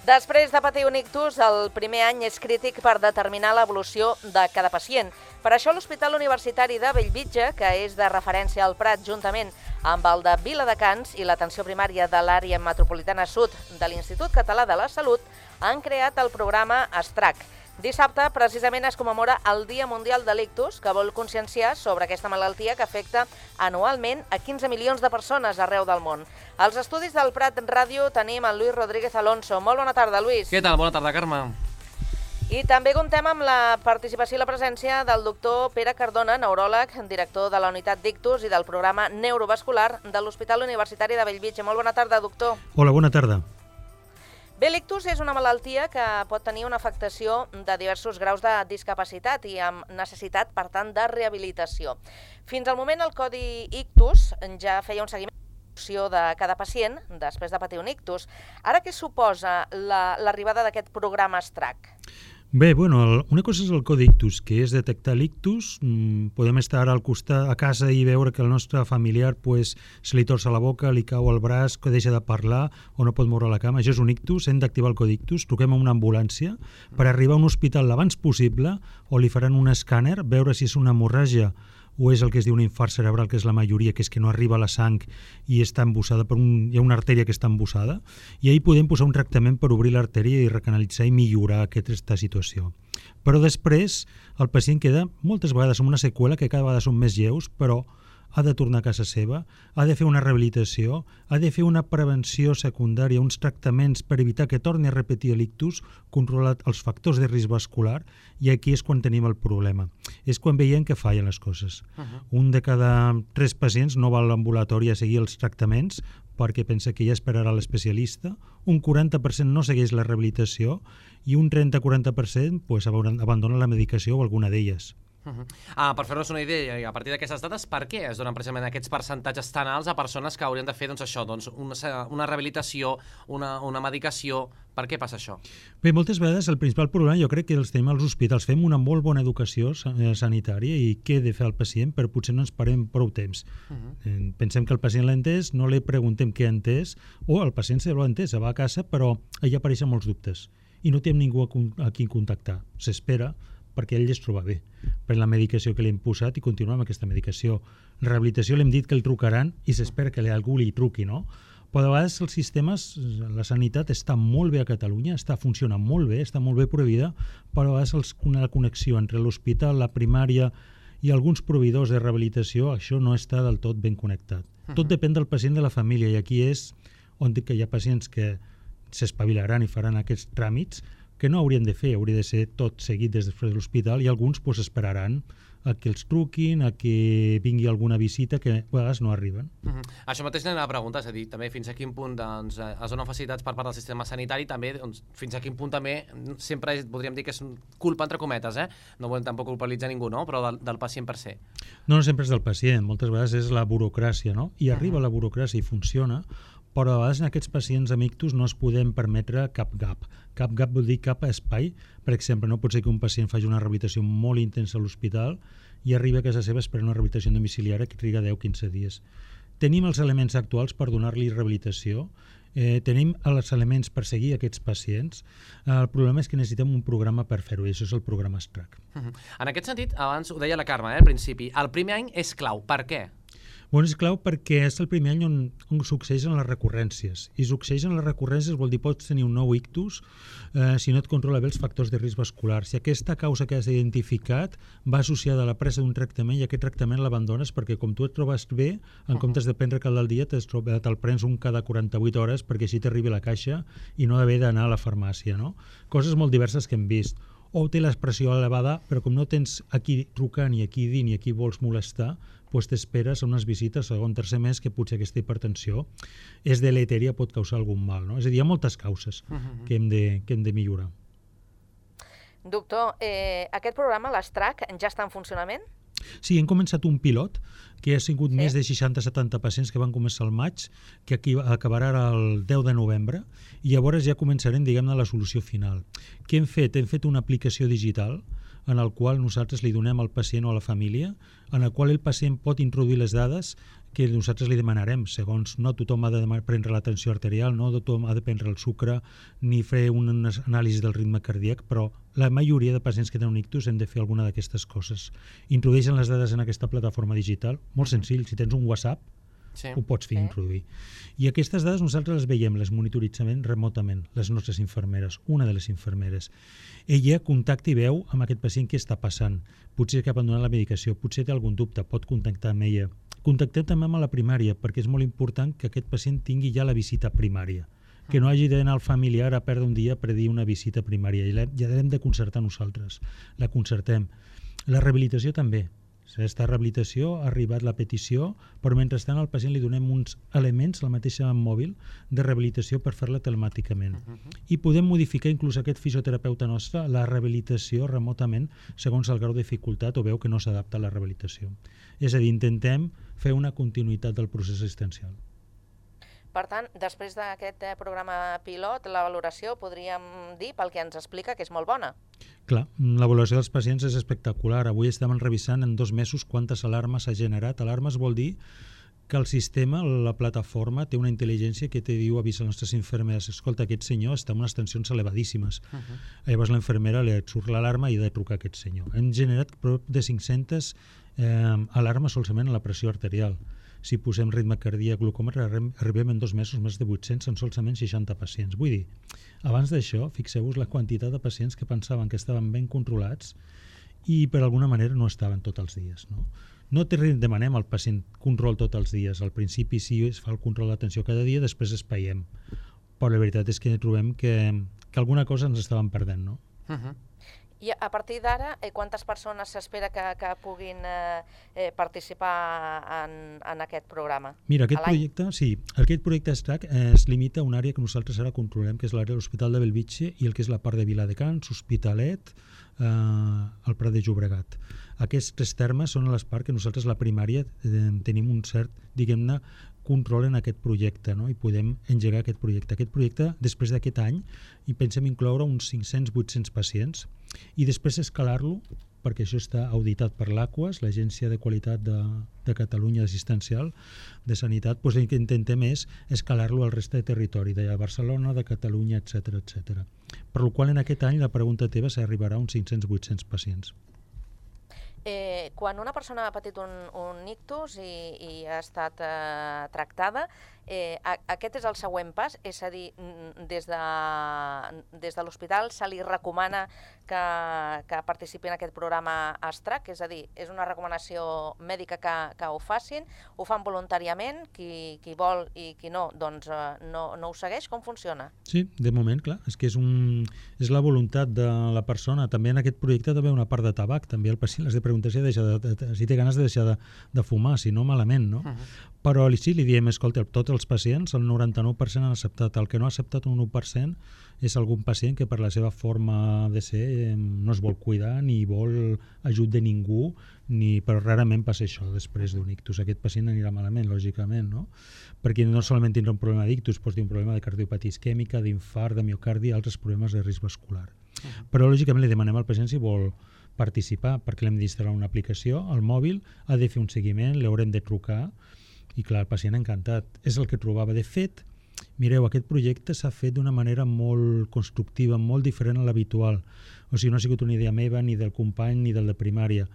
Després de patir un ictus, el primer any és crític per determinar l'evolució de cada pacient. Per això l'Hospital Universitari de Bellvitge, que és de referència al Prat, juntament amb el de Viladecans i l'atenció primària de l'àrea metropolitana sud de l'Institut Català de la Salut, han creat el programa STRAC. Dissabte, precisament, es commemora el Dia Mundial de l'Ictus, que vol conscienciar sobre aquesta malaltia que afecta anualment a 15 milions de persones arreu del món. Als estudis del Prat Ràdio tenim el Lluís Rodríguez Alonso. Molt bona tarda, Lluís. Què tal? Bona tarda, Carme. I també contem amb la participació i la presència del doctor Pere Cardona, neuròleg, director de la unitat d'ictus i del programa neurovascular de l'Hospital Universitari de Bellvitge. Molt bona tarda, doctor. Hola, bona tarda. Bé, l'ictus és una malaltia que pot tenir una afectació de diversos graus de discapacitat i amb necessitat, per tant, de rehabilitació. Fins al moment, el Codi Ictus ja feia un seguiment de cada pacient després de patir un ictus. Ara, què suposa l'arribada d'aquest programa STRAC? Bé, bueno, una cosa és el Codi Ictus, que és detectar l'ictus. Podem estar al costat a casa i veure que el nostre familiar se li torça la boca, li cau el braç, que deixa de parlar o no pot moure la cama. Això és un ictus, hem d'activar el Codi Ictus, truquem a una ambulància per arribar a un hospital l'abans possible o li faran un escàner, veure si és una hemorràgia o és el que es diu un infart cerebral, que és la majoria, que és que no arriba la sang i està embussada hi ha una artèria que està embussada, i ahir podem posar un tractament per obrir l'artèria i recanalitzar i millorar aquesta situació. Però després el pacient queda moltes vegades amb una seqüela que cada vegada són més lleus, però ha de tornar a casa seva, ha de fer una rehabilitació, ha de fer una prevenció secundària, uns tractaments per evitar que torni a repetir l'ictus, controlar els factors de risc vascular, i aquí és quan tenim el problema. És quan veiem que fallen les coses. Un de cada 3 pacients no va a l'ambulatori a seguir els tractaments perquè pensa que ja esperarà l'especialista, un 40% no segueix la rehabilitació i un 30-40% abandona la medicació o alguna d'elles. Per fer-nos una idea, a partir d'aquestes dades, per què es donen precisament aquests percentatges tan alts a persones que haurien de fer una rehabilitació, una medicació? Per què passa això? Bé, moltes vegades el principal problema jo crec que els tenim als hospitals. Fem una molt bona educació sanitària i què he de fer al pacient, però potser no ens parem prou temps. Pensem que el pacient l'ha entès, no li preguntem què ha entès, o el pacient se l'ha entès, va a casa, però allà apareixen molts dubtes i no té ningú a qui contactar. S'espera perquè ell es troba bé per la medicació que li hem posat i continuar amb aquesta medicació. La rehabilitació l'hem dit que el trucaran i s'espera que algú li truqui, no? Però a vegades els sistemes, la sanitat està molt bé a Catalunya, funciona molt bé, està molt bé prohibida, però a vegades la connexió entre l'hospital, la primària i alguns proveïdors de rehabilitació, això no està del tot ben connectat. Tot depèn del pacient i de la família, i aquí és on hi ha pacients que s'espavilaran i faran aquests tràmits que no haurien de fer, hauria de ser tot seguit des de l'hospital, i alguns esperaran a que els truquin, a que vingui alguna visita que a vegades no arriben. Això mateix anem a preguntar, és a dir, també fins a quin punt es donen facilitats per part del sistema sanitari, també fins a quin punt també sempre podríem dir que és culpa entre cometes, no volem tampoc culpabilitzar ningú, no? Però del pacient per se. No sempre és del pacient, moltes vegades és la burocràcia, no? I arriba la burocràcia i funciona, però a vegades en aquests pacients amb ictus no es podem permetre cap gap. Cap gap vol dir cap espai. Per exemple, no pot ser que un pacient faci una rehabilitació molt intensa a l'hospital i arribi a casa seva esperant una rehabilitació domiciliària que triga 10-15 dies. Tenim els elements actuals per donar-li rehabilitació, tenim els elements per seguir aquests pacients. El problema és que necessitem un programa per fer-ho, i això és el programa STRAC. En aquest sentit, abans ho deia la Carme, al principi, el primer any és clau. Per què? Bueno, és clau perquè és el primer any on succeeixen les recurrències. I succeeixen les recurrències vol dir pots tenir un nou ictus si no et controla bé els factors de risc vascular. Si aquesta causa que has identificat va associada a la presa d'un tractament i aquest tractament l'abandones perquè com tu et trobes bé, en comptes de prendre cada dia te'l prens un cada 48 hores perquè així t'arribi la caixa i no haver d'anar a la farmàcia, no? Coses molt diverses que hem vist. O té l'expressió elevada, però com no tens a qui trucar, ni a qui dir, ni a qui vols molestar, doncs t'esperes a unes visites segon, tercer mes que potser aquesta hipertensió és deletèria, pot causar algun mal, no? És a dir, hi ha moltes causes que hem de millorar. Doctor, aquest programa, l'STRAC, ja està en funcionament? Sí, hem començat un pilot que ha sigut més de 60-70 pacients que van començar al maig, que acabarà el 10 de novembre, i llavors ja començarem, diguem-ne, la solució final. Què hem fet? Hem fet una aplicació digital en el qual nosaltres li donem al pacient o a la família, en el qual el pacient pot introduir les dades que nosaltres li demanarem, segons no tothom ha de prendre la tensió arterial, no tothom ha de prendre el sucre ni fer un anàlisi del ritme cardíac, però la majoria de pacients que tenen un ictus hem de fer alguna d'aquestes coses. Introdueixen les dades en aquesta plataforma digital, molt senzill, si tens un WhatsApp, ho pots fer introduir. I aquestes dades nosaltres les veiem, les monitoritzem remotament, les nostres infermeres, una de les infermeres. Ella contacta i veu amb aquest pacient què està passant. Potser que ha abandonat la medicació, potser té algun dubte, pot contactar amb ella. Contactem també amb la primària, perquè és molt important que aquest pacient tingui ja la visita primària, que no hagi d'anar al familiar a perdre un dia per dir una visita primària. Ja l'hem de concertar nosaltres, la concertem. La rehabilitació també. Aquesta rehabilitació ha arribat la petició, però mentrestant al pacient li donem uns elements, la mateixa mòbil, de rehabilitació per fer-la telemàticament. I podem modificar inclús aquest fisioterapeuta nostre la rehabilitació remotament segons el grau de dificultat o veu que no s'adapta a la rehabilitació. És a dir, intentem fer una continuïtat del procés assistencial. Per tant, després d'aquest programa pilot, la valoració, podríem dir, pel que ens explica, que és molt bona. Clar, la valoració dels pacients és espectacular. Avui estem revisant en 2 mesos quantes alarmes s'ha generat. Alarmes vol dir que el sistema, la plataforma, té una intel·ligència que te diu, avisa a les nostres infermeres, escolta, aquest senyor està en unes tensions elevadíssimes. Llavors la infermera li surt l'alarma i ha de trucar a aquest senyor. Hem generat prop de 500 alarmes solament a la pressió arterial. Si posem ritme cardíac, glucòmetre, arribem en 2 mesos més de 800 en solament 60 pacients. Vull dir, abans d'això, fixeu-vos la quantitat de pacients que pensaven que estaven ben controlats i per alguna manera no estaven tots els dies. No demanem al pacient control tots els dies. Al principi sí es fa el control d'atenció cada dia, després espaiem. Però la veritat és que trobem que alguna cosa ens estàvem perdent, no? I a partir d'ara, quantes persones s'espera que puguin participar en aquest programa? Mira, aquest projecte STRAC es limita a una àrea que nosaltres ara controlem, que és l'àrea de l'Hospital de Bellvitge i el que és la part de Viladecans, Hospitalet, el Prat de Llobregat. Aquests 3 termes són les parts que nosaltres, la primària, tenim un cert, diguem-ne, control en aquest projecte, no? I podem engegar aquest projecte. Aquest projecte, després d'aquest any, hi pensem incloure uns 500-800 pacients i després escalar-lo, perquè això està auditat per l'AQUAS, l'Agència de Qualitat de Catalunya Assistencial de Sanitat, doncs el que intentem és escalar-lo al reste de territori, de Barcelona, de Catalunya, etc. Per la qual en aquest any la pregunta teva s'arribarà a uns 500-800 pacients. Quan una persona ha patit un ictus i ha estat tractada, aquest és el següent pas, és a dir, des de l'hospital se li recomana que participi en aquest programa STRAC, és a dir, és una recomanació mèdica que ho facin, ho fan voluntàriament, qui vol i qui no, doncs no ho segueix, com funciona? Sí, de moment, clar, és que és la voluntat de la persona. També en aquest projecte també una part de tabac, també el pacient has de preguntar si té ganes de deixar de fumar, si no malament, no? Però sí, li diem, escolta, tots els pacients, el 99% han acceptat. El que no ha acceptat un 1% és algun pacient que per la seva forma de ser no es vol cuidar ni vol ajut de ningú, però rarament passa això després d'un ictus. Aquest pacient anirà malament, lògicament, no? Perquè no solament tindrà un problema d'ictus, pot tenir un problema de cardiopatia isquèmica, d'infart, de miocardi i altres problemes de risc vascular. Però lògicament li demanem al pacient si vol participar, perquè l'hem d'instal·lar una aplicació al mòbil, ha de fer un seguiment, l'haurem de trucar i clar, el pacient encantat. És el que trobava. De fet, mireu, aquest projecte s'ha fet d'una manera molt constructiva, molt diferent a l'habitual. O sigui, no ha sigut una idea meva, ni del company, ni del de primària.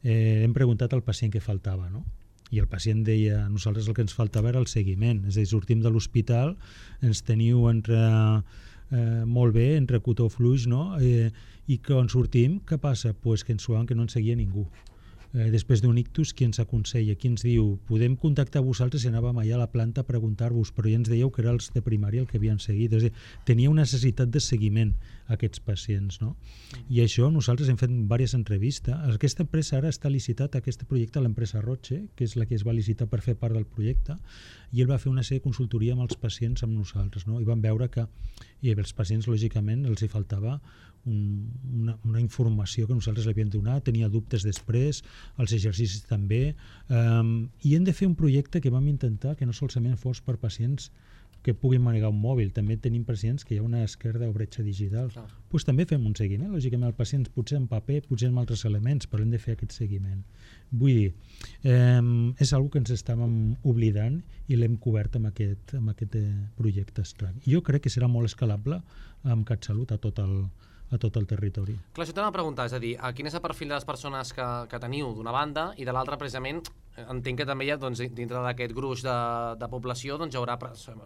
Hem preguntat al pacient què faltava, no? I el pacient deia, nosaltres el que ens faltava era el seguiment. És a dir, sortim de l'hospital, ens teniu molt bé, entre cotó fluix, no? I quan sortim, què passa? Pues que ens suaven que no ens seguia ningú. Després d'un ictus, qui ens aconsella? Qui ens diu, podem contactar vosaltres i anàvem allà a la planta a preguntar-vos, però ja ens dèieu que era els de primària el que havien seguit. És a dir, tenia una necessitat de seguiment aquests pacients, no? I això nosaltres hem fet diverses entrevistes. Aquesta empresa ara està licitat, aquest projecte, a l'empresa Roche, que és la que es va licitar per fer part del projecte, i ell va fer una sèrie de consultoria amb els pacients, amb nosaltres, no? I van veure que els pacients, lògicament, els hi faltava una informació que nosaltres li havíem donat, tenia dubtes després, els exercicis també, i hem de fer un projecte que vam intentar que no solament fos per pacients que puguin manegar un mòbil. També tenim pacients que hi ha una esquerda o bretxa digital. Pues també fem un seguiment. Lògicament, el pacient potser en paper, potser en altres elements, però hem de fer aquest seguiment. Vull dir, és una que ens estàvem oblidant i l'hem cobert amb aquest projecte estrany. Jo crec que serà molt escalable amb CatSalut a tot el territori. Clar, això t'ho anava a preguntar, és a dir, quin és el perfil de les persones que teniu d'una banda i de l'altra, precisament, entenc que també hi ha, doncs, dintre d'aquest gruix de població, doncs, hi haurà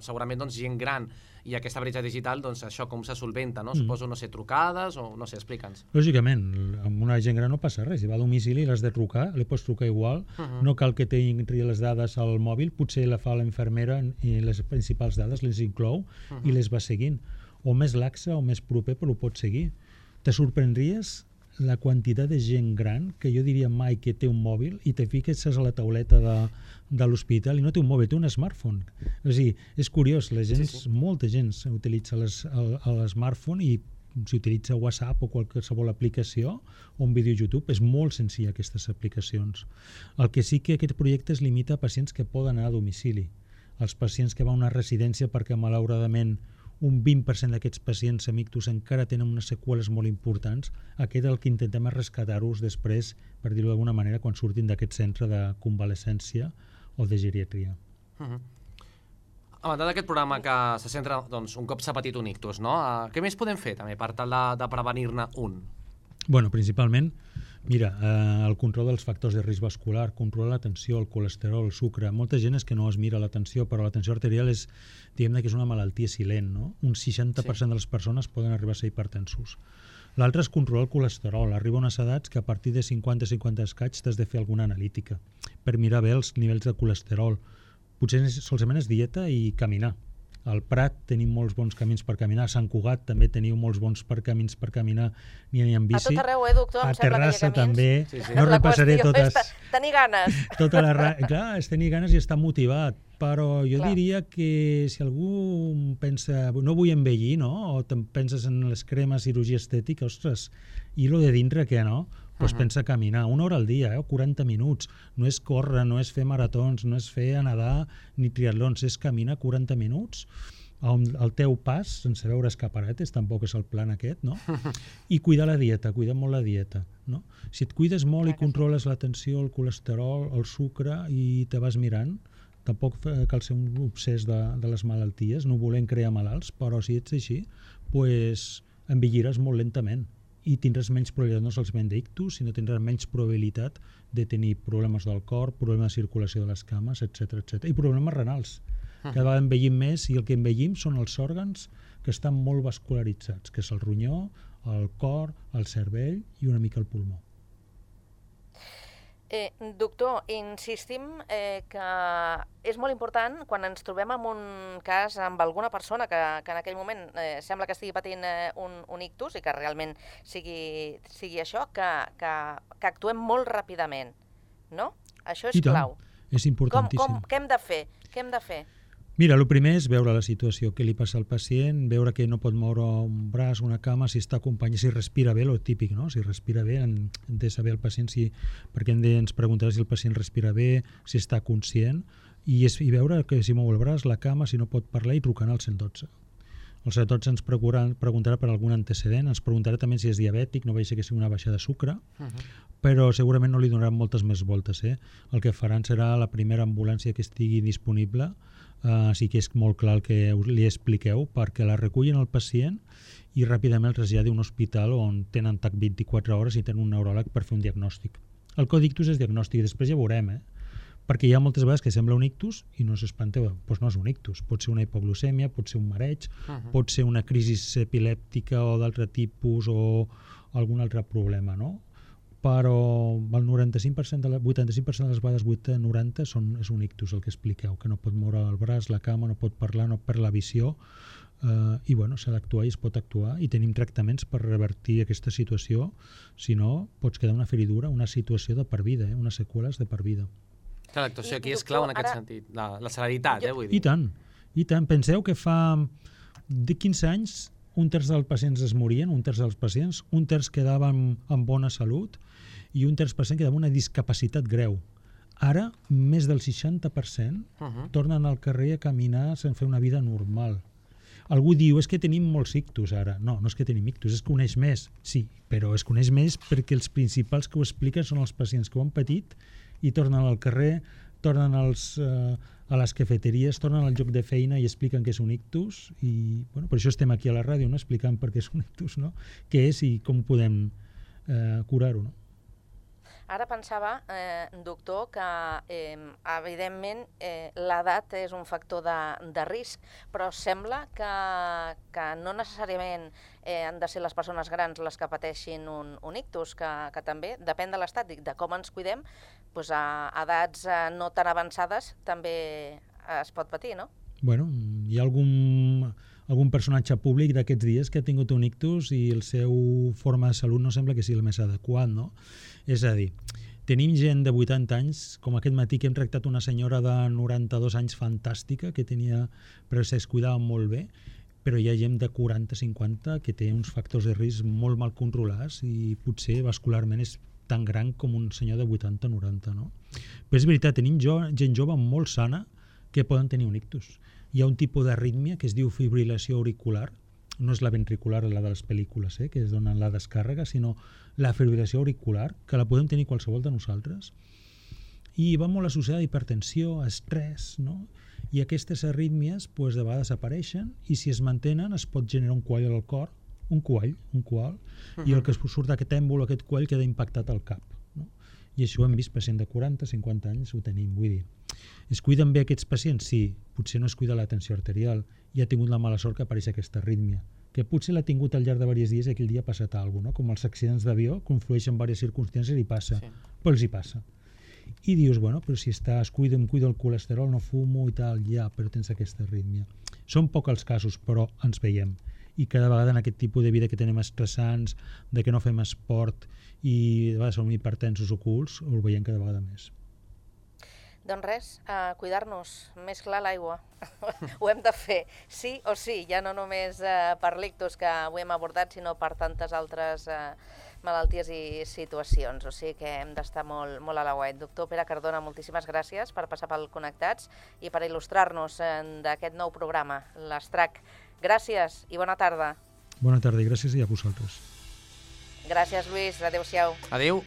segurament doncs, gent gran i aquesta bretxa digital, doncs això com se solventa, no? Suposo, no sé, trucades o no sé, explica'ns. Lògicament, amb una gent gran no passa res, si va a domicili i l'has de trucar, li pots trucar igual, no cal que tingui les dades al mòbil, potser la fa l'infermera i les principals dades les inclou i les va seguint. O més laxa o més proper, però ho pots seguir. Te sorprendries la quantitat de gent gran, que jo diria mai que té un mòbil, i te fiques a la tauleta de l'hospital i no té un mòbil, té un smartphone. És a dir, és curiós, la gent, molta gent utilitza l'smartphone i si utilitza WhatsApp o qualsevol aplicació o un vídeo YouTube, és molt senzill aquestes aplicacions. El que sí que aquest projecte es limita a pacients que poden anar a domicili. Els pacients que van a una residència perquè malauradament un 20% d'aquests pacients amb ictus encara tenen unes seqüeles molt importants, aquest el que intentem és rescatar-los després, per dir-ho d'alguna manera, quan surtin d'aquest centre de convalescència o de geriatria. A banda d'aquest programa que se centra, doncs, un cop s'ha patit un ictus, no? Què més podem fer també per tal de prevenir-ne un? Bueno, principalment, mira, el control dels factors de risc vascular, controlar la tensió, el colesterol, el sucre. Molta gent és que no es mira la tensió, però la tensió arterial és, diguem-ne que és una malaltia silent, no? Un 60% de les persones poden arribar a ser hipertensos. L'altre és controlar el colesterol. Arriba a unes edats que a partir de 50 escaig t'has de fer alguna analítica per mirar bé els nivells de colesterol. Potser solament és dieta i caminar. Al Prat tenim molts bons camins per caminar, a Sant Cugat també teniu molts bons camins per caminar, ni amb bici. A tot arreu, doctor, em sembla que hi ha camins. A Terrassa també, Sí. no repassaré totes. És tenir ganes. Clar, és tenir ganes i estar motivat, però jo diria que si algú pensa, no vull envellir, no? O penses en les cremes, cirurgia estètica, ostres, i lo de dintre què, no? Doncs pensa caminar 1 hora al dia, 40 minuts. No és córrer, no és fer maratons, no és fer nedar ni triatlons, és caminar 40 minuts al teu pas, sense veure escaparates, tampoc és el plan aquest, no? I cuidar la dieta, cuidar molt la dieta, no? Si et cuides molt i controles la tensió, el colesterol, el sucre i te vas mirant, tampoc cal ser un obsès de les malalties, no volem crear malalts, però si ets així, doncs envelliràs molt lentament i tindràs menys probabilitat, no solament d'ictus, sinó tindràs menys probabilitat de tenir problemes del cor, problemes de circulació de les cames, etc. I problemes renals. Cada vegada envellim més i el que envellim són els òrgans que estan molt vascularitzats, que és el ronyó, el cor, el cervell i una mica el pulmó. Doctor, insistim que és molt important quan ens trobem en un cas amb alguna persona que en aquell moment sembla que estigui patint un ictus i que realment sigui això, que actuem molt ràpidament, no? Això és clau. És importantíssim. Què hem de fer? Mira, el primer és veure la situació, què li passa al pacient, veure que no pot moure un braç, una cama, si està acompanyat, si respira bé, el típic, no? Si respira bé, hem de saber el pacient, perquè ens preguntarà si el pacient respira bé, si està conscient, i veure que si mou el braç, la cama, si no pot parlar, i trucant al 112. El 112 ens preguntarà per algun antecedent, ens preguntarà també si és diabètic, no vegi que sigui una baixa de sucre, però segurament no li donaran moltes més voltes. El que faran serà la primera ambulància que estigui disponible, sí que és molt clar el que li expliqueu, perquè la recullen el pacient i ràpidament el traslladi a un hospital on tenen TAC 24 hores i tenen un neuròleg per fer un diagnòstic. El codictus és diagnòstic, després ja veurem, perquè hi ha moltes vegades que sembla un ictus i no s'espanteu, doncs no és un ictus, pot ser una hipoglucèmia, pot ser un mareig, pot ser una crisi epilèptica o d'altre tipus o algun altre problema, no? Però el 85% de 85% de les vegades 80-90 és un ictus el que expliqueu, que no pot moure el braç, la cama, no pot parlar, no perd la visió, i s'ha d'actuar i es pot actuar i tenim tractaments per revertir aquesta situació, si no pots quedar una feridura, una situació de per vida, unes seqüeles de per vida. Clar, l'actuació aquí és clau en aquest sentit, la celeritat, vull dir. I tant. Penseu que fa 15 anys un terç dels pacients es morien, un terç quedaven amb bona salut i un terç % quedava amb una discapacitat greu. Ara, més del 60% tornen al carrer a caminar sense fer una vida normal. Algú diu, és que tenim molts ictus ara. No, no és que tenim ictus, es coneix més. Sí, però es coneix més perquè els principals que ho expliquen són els pacients que ho han patit i tornen al carrer, tornen a les cafeteries, tornen al lloc de feina i expliquen què és un ictus. I bueno, per això estem aquí a la ràdio, no? Explicant per què és un ictus, no? Què és i com podem curar-ho, no? Ara pensava, doctor, que evidentment l'edat és un factor de risc, però sembla que no necessàriament han de ser les persones grans les que pateixin un ictus, que també depèn de l'estat, de com ens cuidem, doncs a edats no tan avançades també es pot patir, no? Bueno, hi ha algun personatge públic d'aquests dies que ha tingut un ictus i el seu forma de salut no sembla que sigui el més adequat, no? És a dir, tenim gent de 80 anys, com aquest matí que hem tractat una senyora de 92 anys fantàstica, que tenia, però es cuidava molt bé, però hi ha gent de 40-50 que té uns factors de risc molt mal controlats i potser vascularment és tan gran com un senyor de 80-90, no? Però és veritat, tenim gent jove molt sana que poden tenir un ictus. Hi ha un tipus d'arrítmia que es diu fibrilació auricular, no és la ventricular, la de les pel·lícules, que es donen la descàrrega, sinó la fibrilació auricular, que la podem tenir qualsevol de nosaltres, i va molt associada a hipertensió, a estrès, no? I aquestes arrítmies de vegades apareixen i si es mantenen es pot generar un coall al cor, un coall, i el que surt d'aquest èmbol, aquest coall, queda impactat al cap. No? I això ho hem vist, pacient de 40-50 anys ho tenim, vull dir. Es cuiden bé aquests pacients? Sí, potser no es cuida la tensió arterial i ha tingut la mala sort que apareix aquesta arrítmia, que potser l'ha tingut al llarg de diversos dies i aquell dia ha passat alguna cosa, no? Com els accidents d'avió, conflueixen diverses circumstàncies i passa, però els hi passa. I dius, bueno, però si es cuida, em cuido el colesterol, no fumo i tal, ja, però tens aquesta arrítmia. Són pocs els casos, però ens veiem. I cada vegada en aquest tipus de vida que tenim estressants, de que no fem esport i de vegades som hipertensos ocults, ho veiem cada vegada més. Doncs res, cuidar-nos, més clar l'aigua. Ho hem de fer, sí o sí, ja no només per l'ictus que avui hem abordat, sinó per tantes altres malalties i situacions. O sigui que hem d'estar molt a l'aguait. Doctor Pere Cardona, moltíssimes gràcies per passar pel Connectats i per il·lustrar-nos d'aquest nou programa, l'Estrac. Gràcies i bona tarda. Bona tarda i gràcies i a vosaltres. Gràcies, Lluís. Adéu-siau. Adéu.